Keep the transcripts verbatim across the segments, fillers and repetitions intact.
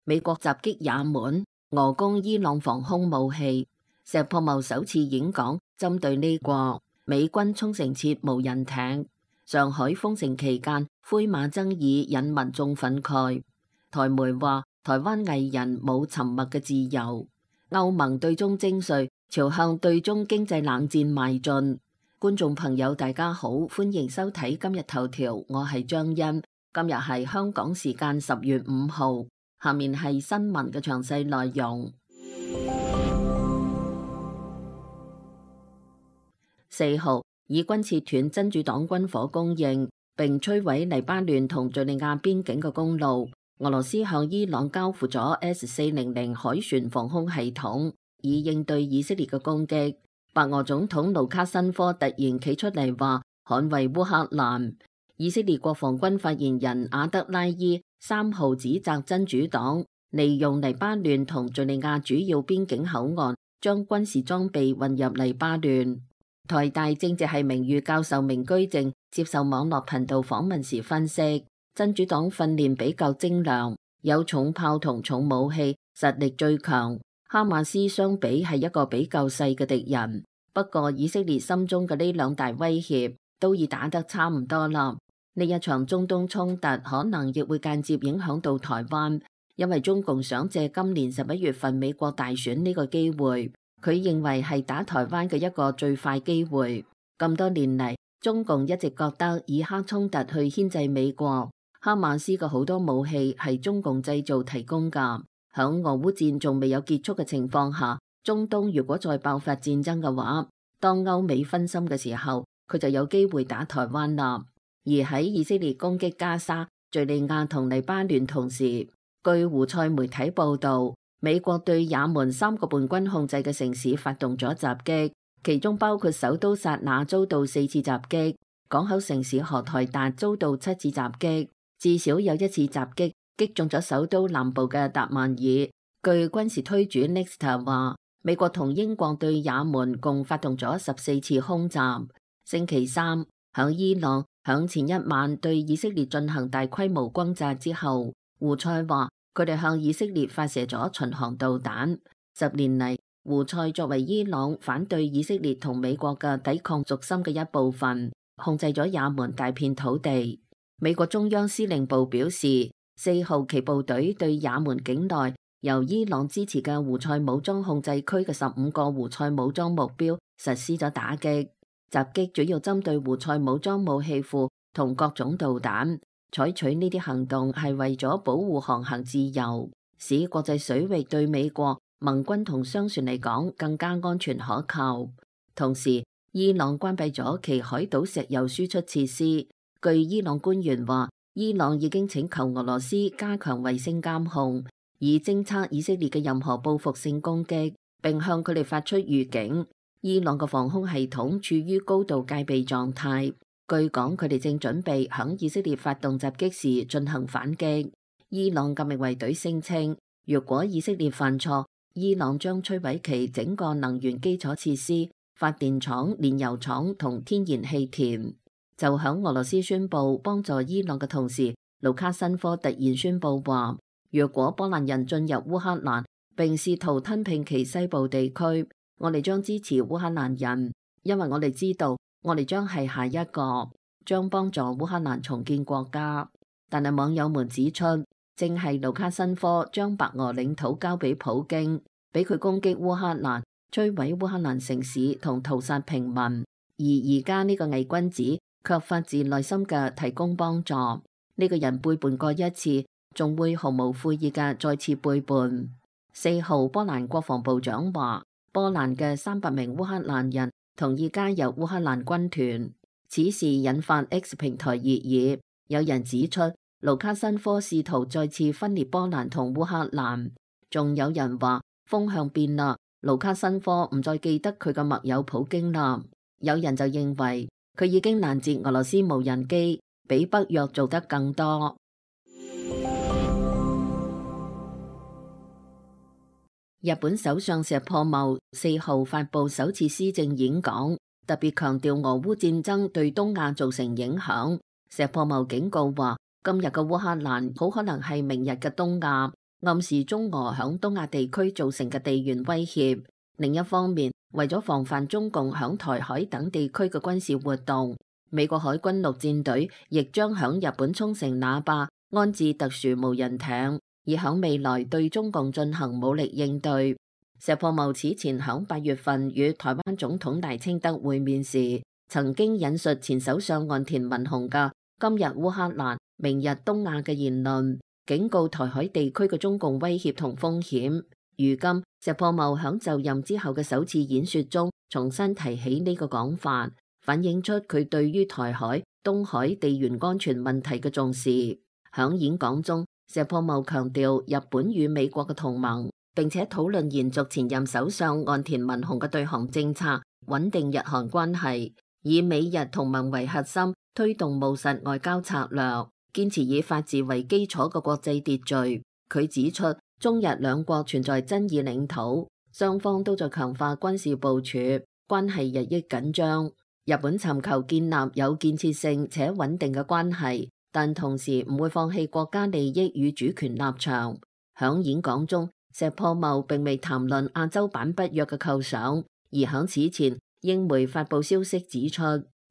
美國襲擊也門，俄攻伊朗防空武器。石破茂首次演講針對呢個，美軍沖繩設無人艇。上海封城期間，灰馬爭議引民眾憤慨。台媒話，台灣藝人冇沉默嘅自由。歐盟對中徵稅，朝向對中經濟冷戰邁進。觀眾朋友大家好，歡迎收睇今日頭條，我係張欣。今日係香港時間十月五號，下面係新聞嘅詳細內容。四號，以軍切斷真主黨軍火供應，並摧毀黎巴嫩同敘利亞邊境嘅公路。俄羅斯向伊朗交付咗 S 四零零海船防空系統，以應對以色列嘅攻擊。白俄總統盧卡申科突然企出嚟話捍衛烏克蘭。以色列國防軍發言人阿德拉伊三號指責真主黨利用黎巴嫩同敘利亞主要邊境口岸，將軍事裝備運入黎巴嫩。台大政治系名譽教授明居正接受網絡頻道訪問時分析，真主黨訓練比較精良，有重炮同重武器，實力最強。哈馬斯相比係一個比較細嘅敵人，不過以色列心中嘅呢兩大威脅都已打得差唔多啦。呢一場中東衝突可能亦會間接影響到台灣，因為中共想借今年十一月份美國大選呢個機會，佢認為係打台灣嘅一個最快機會。咁多年嚟，中共一直覺得以哈衝突去牽制美國，哈馬斯嘅好多武器係中共製造提供㗎。響俄烏戰仲未有結束嘅情況下，中東如果再爆發戰爭嘅話，當歐美分心嘅時候，佢就有機會打台灣啦。而喺以色列攻擊加沙、敘利亞同黎巴嫩同時，據胡塞媒體報道，美國對也門三個叛軍控制嘅城市發動咗襲擊，其中包括首都薩那遭到四次襲擊，港口城市荷台達遭到七次襲擊，至少有一次襲擊擊中咗首都南部嘅達曼爾。據軍事推主 Nexta 話，美國同英國對也門共發動咗十四次空襲。星期三，響伊朗響前一晚對以色列進行大規模轟炸之後，胡塞話佢哋向以色列發射咗巡航導彈。十年嚟，胡塞作為伊朗反對以色列同美國嘅抵抗軸心嘅一部分，控制咗也門大片土地。美國中央司令部表示，四號其部隊對也門境內由伊朗支持嘅胡塞武裝控制區嘅十五個胡塞武裝目標實施咗打擊。襲擊主要針對胡塞武裝武器庫同各種導彈。採取呢啲行動係為咗保護航行自由，使國際水域對美國盟軍同商船嚟講更加安全可靠。同時，伊朗關閉咗其海島石油輸出設施。據伊朗官員話，伊朗已經請求俄羅斯加強衛星監控，以偵測以色列嘅任何報復性攻擊，並向佢哋發出預警。伊朗嘅防空系統處於高度戒備狀態，據講佢哋正準備響以色列發動襲擊時進行反擊。伊朗革命衛隊聲稱，如果以色列犯錯，伊朗將摧毀其整個能源基礎設施、發電廠、煉油廠同天然氣田。就響俄羅斯宣布幫助伊朗嘅同時，盧卡申科突然宣布話，如果波蘭人進入烏克蘭並試圖吞併其西部地區，我哋將支持烏克蘭人，因為我哋知道我哋將係下一個，將幫助烏克蘭重建國家。但係網友們指出，正係盧卡申科將白俄領土交俾普京，俾佢攻擊烏克蘭、摧毀烏克蘭城市同屠殺平民，而而家呢個偽君子卻發自內心嘅提供幫助。呢、這個人背叛過一次，仲會毫無悔意嘅再次背叛。四號，波蘭國防部長話，波蘭嘅三百名烏克蘭人同意加入烏克蘭軍團，此事引發 X 平台熱議。有人指出，盧卡申科試圖再次分裂波蘭同烏克蘭，仲有人話風向變啦，盧卡申科唔再記得佢嘅密友普京啦。有人就認為佢已經攔截俄羅斯無人機，比北約做得更多。日本首相石破茂四號發布首次施政演講，特別強調俄烏戰爭對東亞造成影響。石破茂警告話，今日嘅烏克蘭好可能係明日嘅東亞，暗示中俄響東亞地區造成嘅地緣威脅。另一方面，為咗防範中共響台海等地區嘅軍事活動，美國海軍陸戰隊亦將響日本沖繩那霸安置特殊無人艇，以響未來對中共進行武力應對。石破茂此前響八月份與台灣總統賴清德會面時，曾經引述前首相岸田文雄嘅今日烏克蘭，明日東亞嘅言論，警告台海地區嘅中共威脅同風險。如今石破茂響就任之後嘅首次演說中，重新提起呢個講法，反映出佢對於台海、東海地緣安全問題嘅重視。響演講中，石破茂強調日本與美國嘅同盟，並且討論延續前任首相岸田文雄嘅對韓政策，穩定日韓關係，以美日同盟為核心，推動務實外交策略，堅持以法治為基礎嘅國際秩序。佢指出，中日兩國存在爭議領土，雙方都在強化軍事部署，關係日益緊張。日本尋求建立有建設性且穩定嘅關係，但同時唔會放棄國家利益與主權立場。響演講中，石破茂並未談論亞洲版北約嘅構想，而響此前，英媒發布消息指出，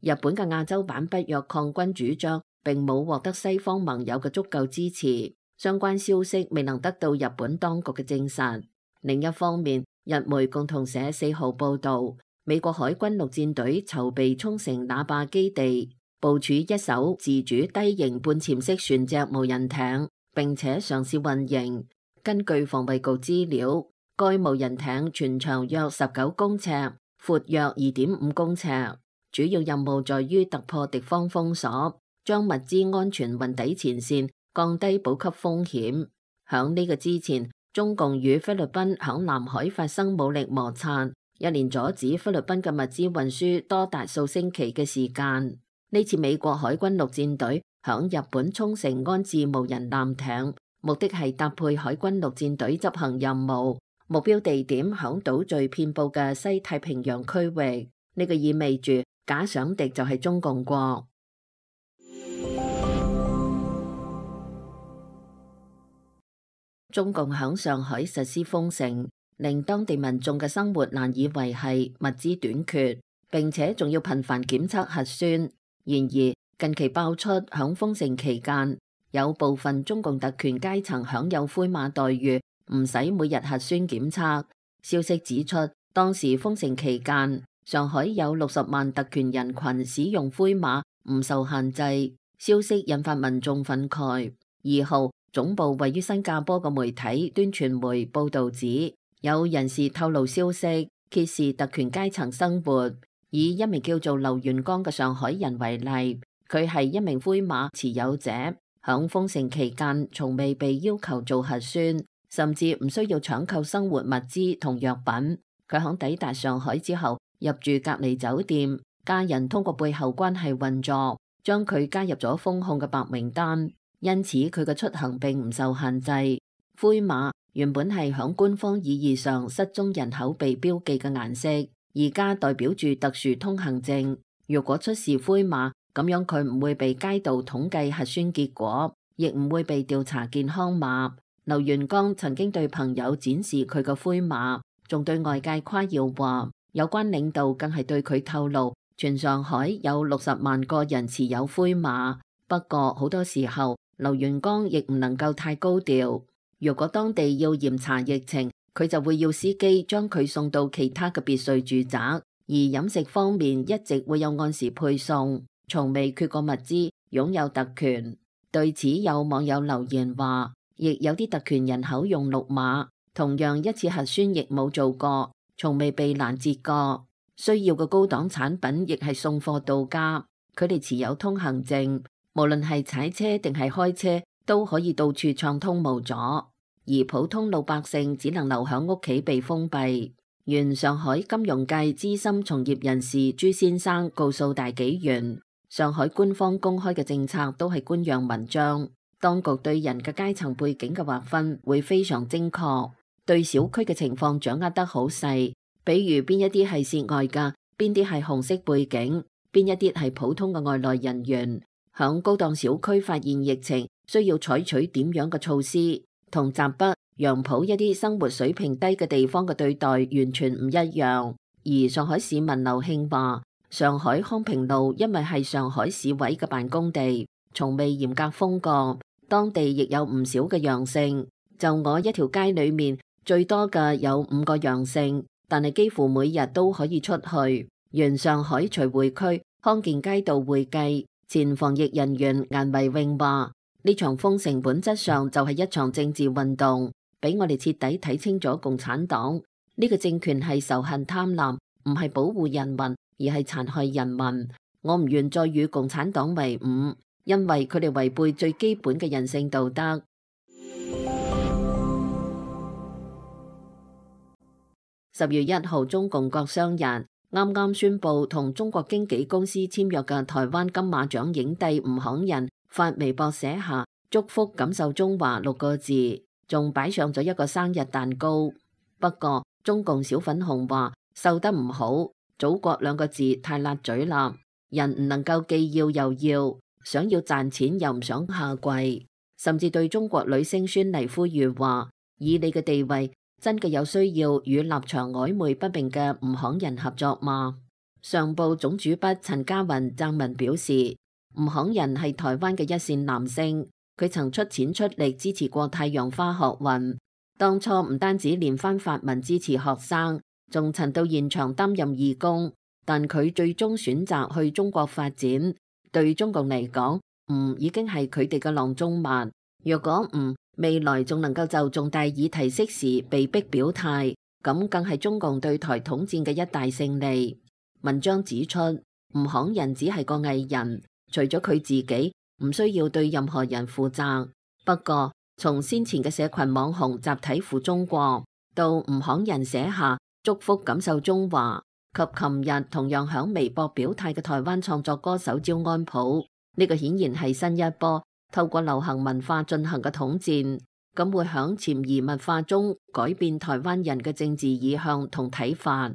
日本嘅亞洲版北約抗軍主張並冇獲得西方盟友嘅足夠支持。相關消息未能得到日本當局嘅證實。另一方面，日媒共同社四號報道，美國海軍陸戰隊籌備沖繩那霸基地部署一艘自主低型半潛式船隻無人艇，並且嘗試運營。根據防衛局資料，該無人艇全長約十九公尺，闊約二點五公尺，主要任務在於突破敵方封鎖，將物資安全運抵前線，降低補給風險。響呢個之前，中共與菲律賓響南海發生武力摩擦，一連阻止菲律賓嘅物資運輸多達數星期嘅時間。呢次美國海軍陸戰隊響日本沖繩安置無人艦艇，目的係搭配海軍陸戰隊執行任務，目標地點響島嶼遍佈嘅西太平洋區域。呢個意味住假想敵就係中共國。中共響上海實施封城，令當地民眾嘅生活難以維繫，物資短缺，並且仲要頻繁檢測核酸。然而近期爆出響封城期間，有部分中共特權階層享有灰碼待遇，唔使每日核酸檢測。消息指出，當時封城期間，上海有六十萬特權人群使用灰碼，唔受限制。消息引發民眾憤慨。二號，總部位於新加坡嘅媒體端傳媒報導指，有人士透露消息，揭示特權階層生活。以一名叫做劉元剛嘅上海人為例，佢係一名灰碼持有者，響封城期間從未被要求做核酸，甚至唔需要搶購生活物資同藥品。佢響抵達上海之後，入住隔離酒店，家人通過背後關係運作，將佢加入咗封控嘅白名單。因此佢嘅出行並唔受限制。灰碼原本係響官方意義上失蹤人口被標記嘅顏色，而家代表住特殊通行證。如果出示灰碼，咁樣佢唔會被街道統計核酸結果，亦唔會被調查健康碼。劉元剛曾經對朋友展示佢嘅灰碼，仲對外界誇耀話，有關領導更係對佢透露，全上海有六十萬個人持有灰碼。不過好多時候，劉元剛亦唔能夠太高調。如果當地要嚴查疫情，佢就會要司機將佢送到其他嘅別墅住宅。而飲食方面一直會有按時配送，從未缺過物資，擁有特權。對此有網友留言話，亦有啲特權人口用綠碼，同樣一次核酸亦冇做過，從未被攔截過。需要嘅高檔產品亦係送貨到家。佢哋持有通行證，無論係踩車定係開車，都可以到處暢通無阻。而普通老百姓只能留喺屋企被封閉。原上海金融界資深從業人士朱先生告訴大紀元，上海官方公開嘅政策都係官樣文章，當局對人嘅階層背景嘅劃分會非常精確，對小區嘅情況掌握得好細，比如邊一啲係涉外㗎，邊啲係紅色背景，邊一啲係普通嘅外來人員，響高檔小區發現疫情需要採取點樣嘅措施，同閘北、楊浦一啲生活水平低嘅地方嘅對待完全唔一樣。而上海市民劉慶話，上海康平路因為係上海市委嘅辦公地，從未嚴格封過，當地亦有唔少嘅陽性。就我一條街裏面最多嘅有五個陽性，但係幾乎每日都可以出去。原上海徐匯區康健街道會計前防疫人員顏維穎話，呢場封城本質上就係一場政治運動，俾我哋徹底睇清咗共產黨呢個政權係仇恨貪婪，唔係保護人民，而係殘害人民。我唔願再與共產黨為伍，因為佢哋違背最基本嘅人性道德。十月一號，中共國商日啱啱宣布同中國經紀公司簽約嘅台灣金馬獎影帝吳慷仁發微博寫下祝福感受中華六個字，仲擺上咗一個生日蛋糕。不過中共小粉紅話瘦得唔好，祖國兩個字太辣嘴啦，人唔能夠既要又要，想要賺錢又唔想下跪，甚至對中國女星孫儷呼籲話，以你嘅地位真嘅有需要與立場曖昧不明嘅吳慷仁合作嗎？上報總主筆陳家雲撰文表示，吳慷仁係台灣嘅一線男星，佢曾出錢出力支持過太陽花學運，當初唔單止連番發文支持學生，仲曾到現場擔任義工，但佢最終選擇去中國發展。對中共嚟講，吳已經係佢哋嘅囊中物。若果吳未來仲能夠就重大議題適時被逼表態，咁更係中共對台統戰嘅一大勝利。文章指出，吳慷仁只係個藝人，除咗佢自己，唔需要對任何人負責。不過，從先前嘅社群網紅集體負中國，到吳慷仁寫下祝福感受中華，及琴日同樣響微博表態嘅台灣創作歌手焦安普，呢、這個顯然係新一波透過流行文化進行嘅統戰，咁會響潛移默化中改變台灣人嘅政治意向同睇法。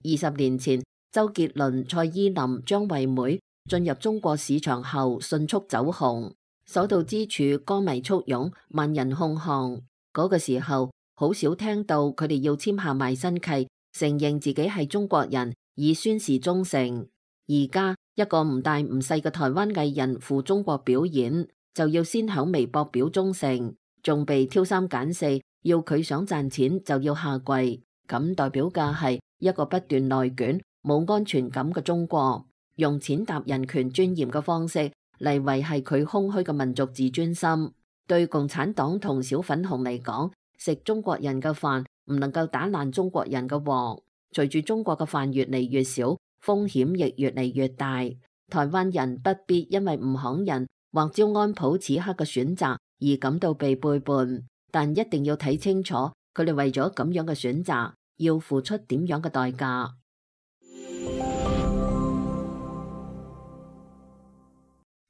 二十年前，周杰倫、蔡依林、張惠妹進入中國市場後迅速走紅，所到之處歌迷簇擁，萬人空巷。嗰、那個時候好少聽到佢哋要簽下賣身契，承認自己係中國人，以宣示忠誠。而家一個唔大唔細嘅台灣藝人赴中國表演，就要先響微博表忠誠，仲被挑三揀四，要佢想賺錢就要下跪，咁代表嘅係一個不斷內卷、冇安全感嘅中國，用踐踏人權尊嚴嘅方式嚟維繫佢空虛嘅民族自尊心。對共產黨同小粉紅嚟講，食中國人嘅飯唔能夠打爛中國人嘅鑊。隨住中國嘅飯越嚟越少，風險亦越嚟越大。台灣人不必因為吳慷仁或焦安普此刻嘅選擇而感到被背叛，但一定要睇清楚佢哋為咗咁樣嘅選擇要付出點樣嘅代價。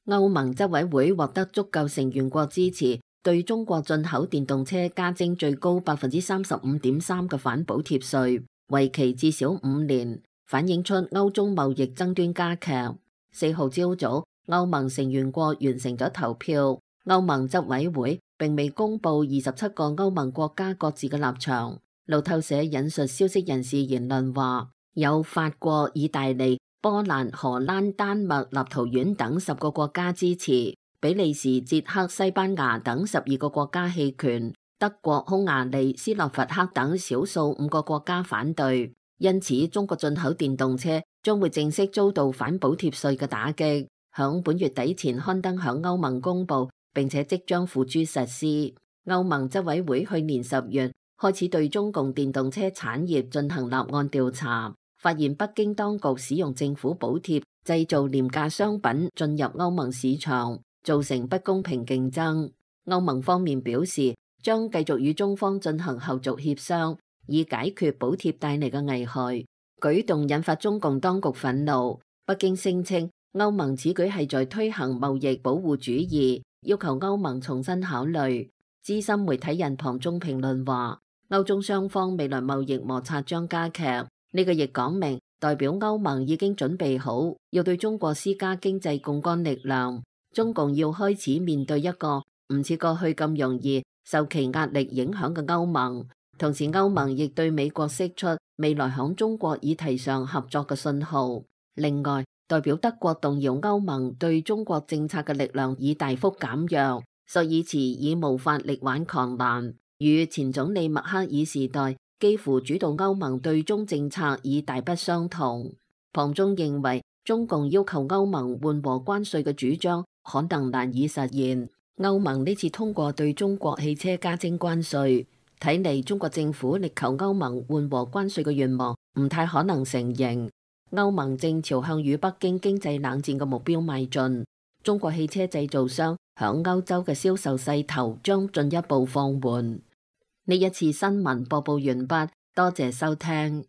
歐盟執委會獲得足夠成員國支持，對中國進口電動車加徵最高百分之三十五點三嘅反補貼稅，為期至少五年，反映出歐中貿易爭端加劇。四號朝早，歐盟成員國完成咗投票，歐盟執委會並未公布二十七個歐盟國家各自嘅立場。路透社引述消息人士言論話，有法國、意大利、波蘭、荷蘭、丹麥、立陶宛等十個國家支持，比利時、捷克、西班牙等十二個國家棄權，德國、匈牙利、斯洛伐克等少數五個國家反對。因此，中國進口電動車將會正式遭到反補貼稅嘅打擊，響本月底前刊登響歐盟公佈，並且即將付諸實施。歐盟執委會去年十月開始對中共電動車產業進行立案調查，發現北京當局使用政府補貼製造廉價商品進入歐盟市場，造成不公平競爭。歐盟方面表示，將繼續與中方進行後續協商，以解決補貼帶嚟嘅危害。舉動引發中共當局憤怒，北京聲稱歐盟此舉係在推行貿易保護主義，要求歐盟重新考慮。資深媒體人龐中評論話，歐中雙方未來貿易摩擦將加劇，呢、這個亦講明代表歐盟已經準備好要對中國施加經濟槓桿力量。中共要開始面對一個唔似過去咁容易受其壓力影響嘅歐盟。同時，歐盟亦對美國釋出未來響中國議題上合作嘅信號。另外，代表德國動搖歐盟對中國政策嘅力量已大幅減弱，朔爾茨已無法力挽狂瀾，與前總理默克爾時代幾乎主導歐盟對中政策已大不相同。龐中認為，中共要求歐盟緩和關稅嘅主張可能難以實現。歐盟呢次通過對中國汽車加徵關稅，睇嚟中國政府力求歐盟緩和關稅嘅願望唔太可能成形。歐盟正朝向與北京經濟冷戰嘅目標邁進，中國汽車製造商響歐洲嘅銷售勢頭將進一步放緩。呢一次新聞播報完畢，多謝收聽。